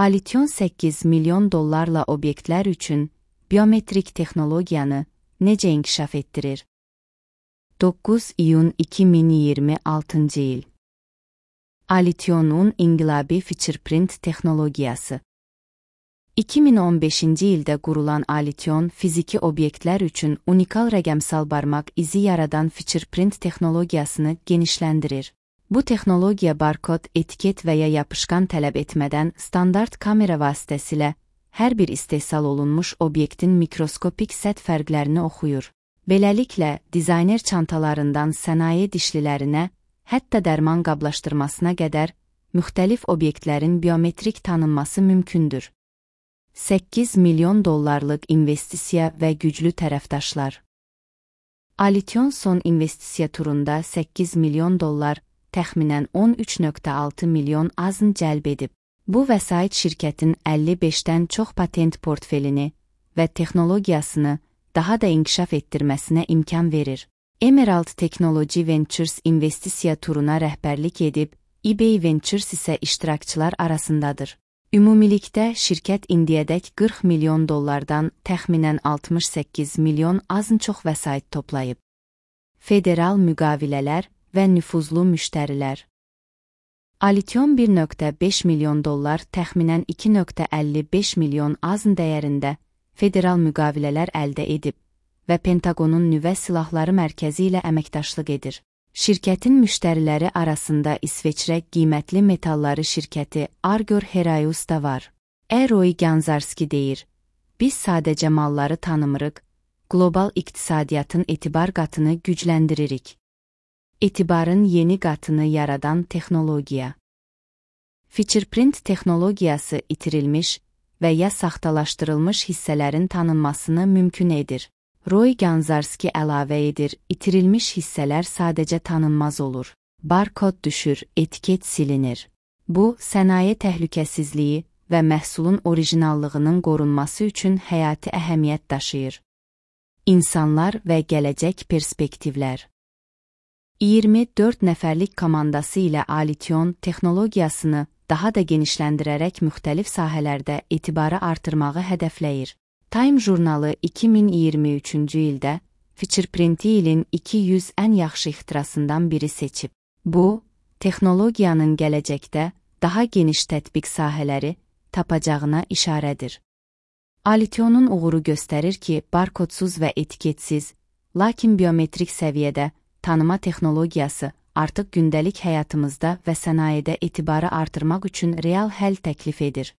Alition 8 milyon dollarla obyektlər üçün biometrik texnologiyanı necə inkişaf etdirir? 9 iyun 2026 il. Alition'un inqilabi fingerprint texnologiyası. 2015-ci ildə qurulan Alition fiziki obyektlər üçün unikal rəqəmsal barmaq izi yaradan fingerprint texnologiyasını genişləndirir. Bu texnologiya barkod, etiket və ya yapışqan tələb etmədən standart kamera vasitəsilə hər bir istehsal olunmuş obyektin mikroskopik səth fərqlərini oxuyur. Beləliklə, dizayner çantalarından sənaye dişlilərinə, hətta dərman qablaşdırmasına qədər müxtəlif obyektlərin biometrik tanınması mümkündür. 8 milyon dollarlıq investisiya və güclü tərəfdaşlar. Alition son investisiya turunda 8 milyon dollar, təxminən 13,6 milyon azın cəlb edib. Bu vəsait şirkətin 55-dən çox patent portfelini və texnologiyasını daha da inkişaf etdirməsinə imkan verir. Emerald Technology Ventures investisiya turuna rəhbərlik edib, eBay Ventures isə iştirakçılar arasındadır. Ümumilikdə şirkət indiyədək 40 milyon dollardan təxminən 68 milyon azın çox vəsait toplayıb. Federal müqavilələr və nüfuzlu müştərilər. Alition 1,5 milyon dollar təxminən 2,55 milyon azın dəyərində federal müqavilələr əldə edib və Pentagonun nüvə silahları mərkəzi ilə əməkdaşlıq edir. Şirkətin müştəriləri arasında İsveçrə qiymətli metalları şirkəti Argor Heraeus da var. Roy Ganzarski deyir, biz sadəcə malları tanımırıq, qlobal iqtisadiyyatın etibar qatını gücləndiririk. Etibarın yeni qatını yaradan texnologiya. Fingerprint texnologiyası itirilmiş və ya saxtalaşdırılmış hissələrin tanınmasını mümkün edir. Roy Ganzarski əlavə edir, itirilmiş hissələr sadəcə tanınmaz olur. Barkod düşür, etiket silinir. Bu, sənaye təhlükəsizliyi və məhsulun orijinallığının qorunması üçün həyati əhəmiyyət daşıyır. İnsanlar və gələcək perspektivlər. 24 nəfərlik komandası ilə Alition texnologiyasını daha da genişləndirərək müxtəlif sahələrdə etibarı artırmağı hədəfləyir. Time jurnalı 2023-cü ildə fingerprinti ilin 200 ən yaxşı ixtirasından biri seçib. Bu, texnologiyanın gələcəkdə daha geniş tətbiq sahələri tapacağına işarədir. Alition'un uğuru göstərir ki, barkodsuz və etiketsiz, lakin biometrik səviyyədə tanıma texnologiyası artıq gündəlik həyatımızda və sənayedə etibarı artırmaq üçün real həll təklif edir.